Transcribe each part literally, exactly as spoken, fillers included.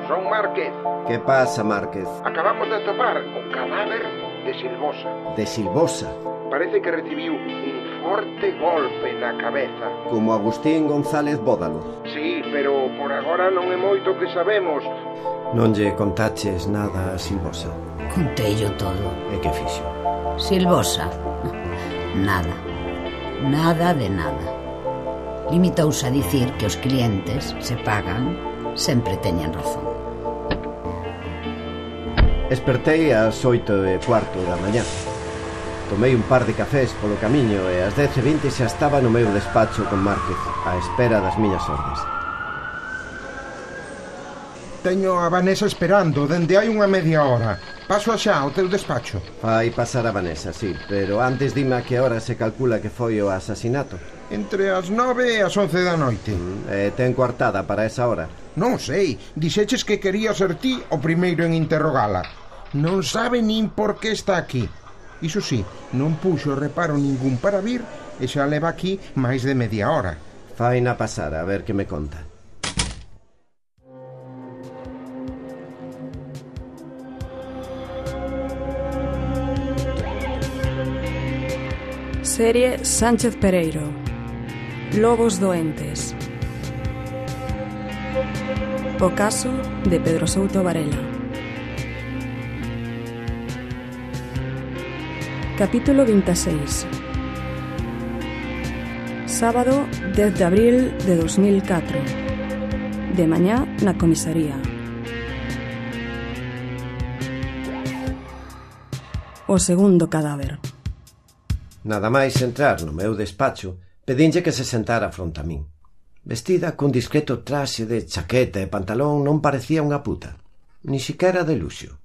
son Márquez. Que pasa, Márquez? Acabamos de atopar o cadáver de Silvosa. De Silvosa? Parece que recibiu un forte golpe na cabeza. Como Agustín González Bódalo. Sí, pero por agora non é moito que sabemos. Non lle contaches nada a Silvosa? Conteillo todo. E que fixo? Silvosa? Nada. Nada de nada. Limitouse a dicir que os clientes, se pagan, sempre teñen razón. Espertei ás oito e cuarto da mañá. Tomei un par de cafés polo camiño e ás dez e vinte xa estaba no meu despacho con Márquez, á espera das miñas ordes. Teño a Vanessa esperando dende hai unha media hora. Paso xa ao teu despacho. Vai pasar a Vanessa, sí, pero antes dime a que hora se calcula que foi o asasinato. Entre as nove e as once da noite. Mm, e ten coartada para esa hora? Non sei, dixeches que quería ser ti o primeiro en interrogala. Non sabe nin por que está aquí. Iso sí, non puxo reparo ningún para vir e xa leva aquí máis de media hora. Faina pasar, a ver que me conta. Serie Sánchez Pereiro. Lobos doentes. O caso de Pedro Souto Varela. Capítulo veintiséis. Sábado dez de abril de dos mil catro. De mañá na comisaría. O segundo cadáver. Nada máis entrar no meu despacho, pedinlle que se sentara fronte a min. Vestida cun discreto traxe de chaqueta e pantalón, non parecía unha puta, ni siquiera de luxo.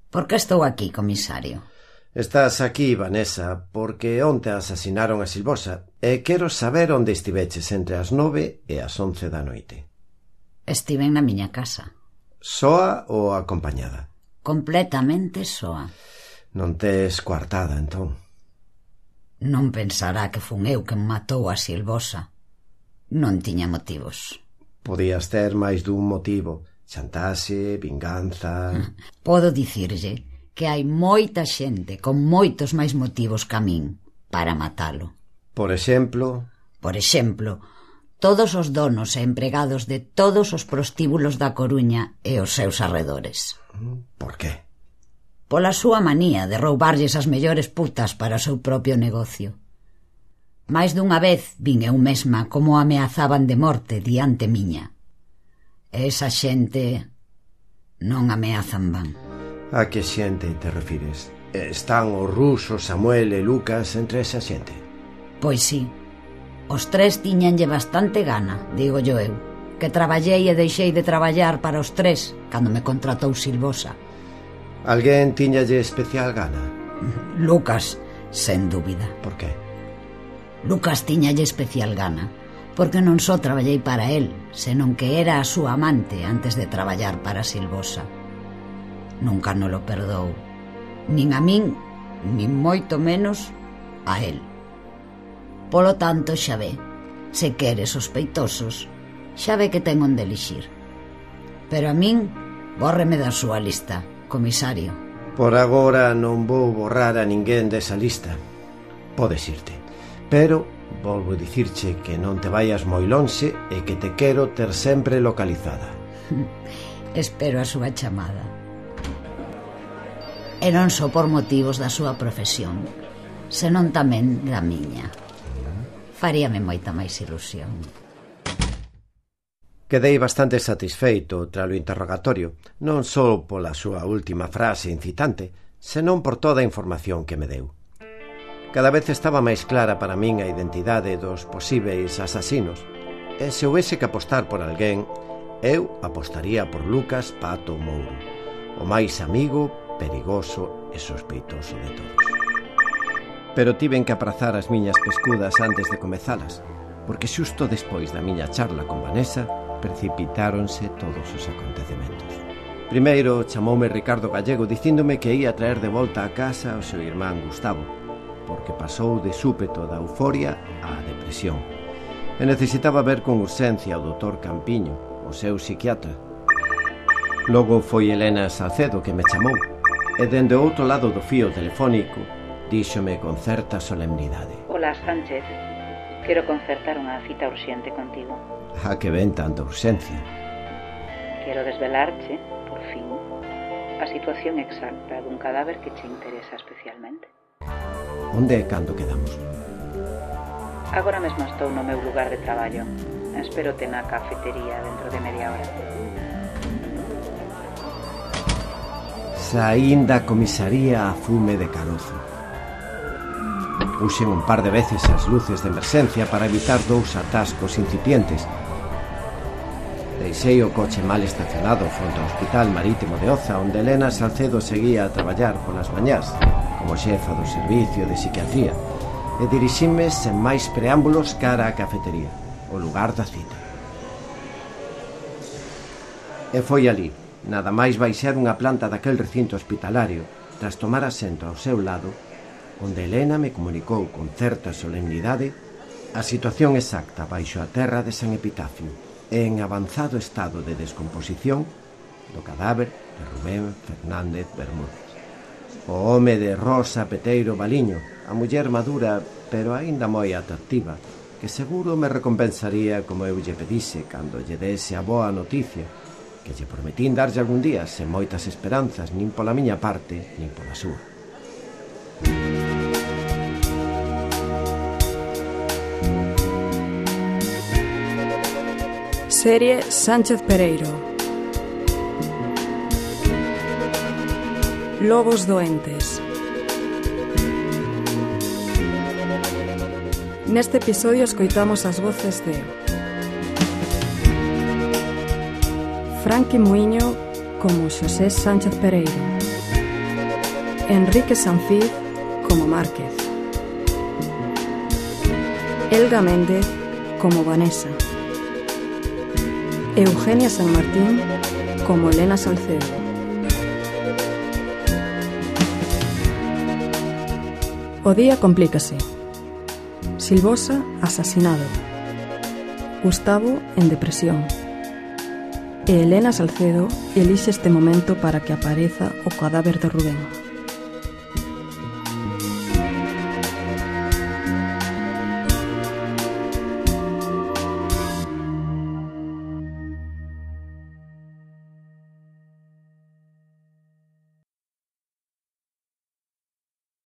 Por que estou aquí, comisario? Estás aquí, Vanessa, porque onte asasinaron a Silvosa e quero saber onde estiveches entre as nove e as once da noite. Estiven na miña casa. Soa ou acompañada? Completamente soa. Non tes coartada, entón? Non pensará que fun eu quen matou a Silvosa. Non tiña motivos. Podías ter máis dun motivo. Chantaxe, vinganza... Podo dicirlle que hai moita xente con moitos máis motivos que a min para matalo. Por exemplo... Por exemplo, todos os donos e empregados de todos os prostíbulos da Coruña e os seus arredores. Por qué? Pola súa manía de roubarlles as mellores putas para o seu propio negocio. Mais dunha vez vin eu mesma como ameazaban de morte diante miña. E esa xente non ameazan van. A que xente te refires? Están os rusos, Samuel e Lucas entre esa xente? Pois sí. Os tres tiñanlle bastante gana, digo yo eu, que traballei e deixei de traballar para os tres cando me contratou Silvosa. Alguén tiñalle especial gana? Lucas, sen dúbida. Por qué? Lucas tiñalle especial gana porque non só traballei para él, senón que era a súa amante antes de traballar para Silvosa. Nunca non lo perdou, nin a min, nin moito menos a él. Polo tanto, xa ve, se quere sospeitosos, xa ve que ten onde elixir. Pero a min, bórreme da súa lista, comisario. Por agora non vou borrar a ninguén desa lista. Podes irte. Pero volvo a dicirche que non te vayas moi lonxe e que te quero ter sempre localizada. Espero a súa chamada. E non só por motivos da súa profesión, senón tamén da miña. Faríame moita máis ilusión. Quedei bastante satisfeito tralo interrogatorio, non só pola súa última frase incitante, senón por toda a información que me deu. Cada vez estaba máis clara para min a identidade dos posíbeis asasinos, e se houvese que apostar por alguén, eu apostaría por Lucas Pato Mouro, o máis amigo, perigoso e sospeitoso de todos. Pero tiven que aprazar as miñas pescudas antes de comezalas, porque xusto despois da miña charla con Vanessa precipitáronse todos os acontecementos. Primeiro chamoume Ricardo Gallego dicíndome que ia traer de volta a casa o seu irmán Gustavo, porque pasou de súpeto da euforia á depresión e necesitaba ver con urxencia o doutor Campiño, o seu psiquiatra. Logo foi Elena Salcedo que me chamou, e dende o outro lado do fío telefónico díxome con certa solemnidade: Ola, Sánchez, quero concertar unha cita urxente contigo. A que ven tanta urxencia? Quero desvelarche, por fin, a situación exacta dun cadáver que che interesa especialmente. Onde e cando quedamos? Agora mesmo estou no meu lugar de traballo. Espérote na cafetería dentro de media hora. Saín da comisaría a fume de carozo. Puxen un par de veces as luces de emerxencia para evitar dous atascos incipientes. Deixei o coche mal estacionado fronte ao Hospital Marítimo de Oza, onde Elena Salcedo seguía a traballar polas mañás como xefa do servicio de psiquiatría, e dirixime sen máis preámbulos cara á cafetería, o lugar da cita. E foi ali, nada máis baixar unha planta daquel recinto hospitalario, tras tomar asento ao seu lado, onde Elena me comunicou con certa solemnidade a situación exacta baixo a terra de San Epitafio, en avanzado estado de descomposición do cadáver de Rubén Fernández Bermúdez, o home de Rosa Peteiro Baliño, a muller madura pero aínda moi atractiva, que seguro me recompensaría como eu lle pedise cando lle dese a boa noticia, que lle prometín darlle algún día sen moitas esperanzas, nin pola miña parte, nin pola súa. Serie Sánchez Pereiro. Lobos doentes. Neste episodio escoitamos as voces de Franqui Muiño como Xosé Sánchez Pereiro, Enrique Sanfiz como Márquez, Elga Méndez como Vanessa, Eugenia San Martín como Elena Salcedo. O día complícase. Silvosa asasinado, Gustavo en depresión, e Elena Salcedo elixe este momento para que apareza o cadáver de Rubén.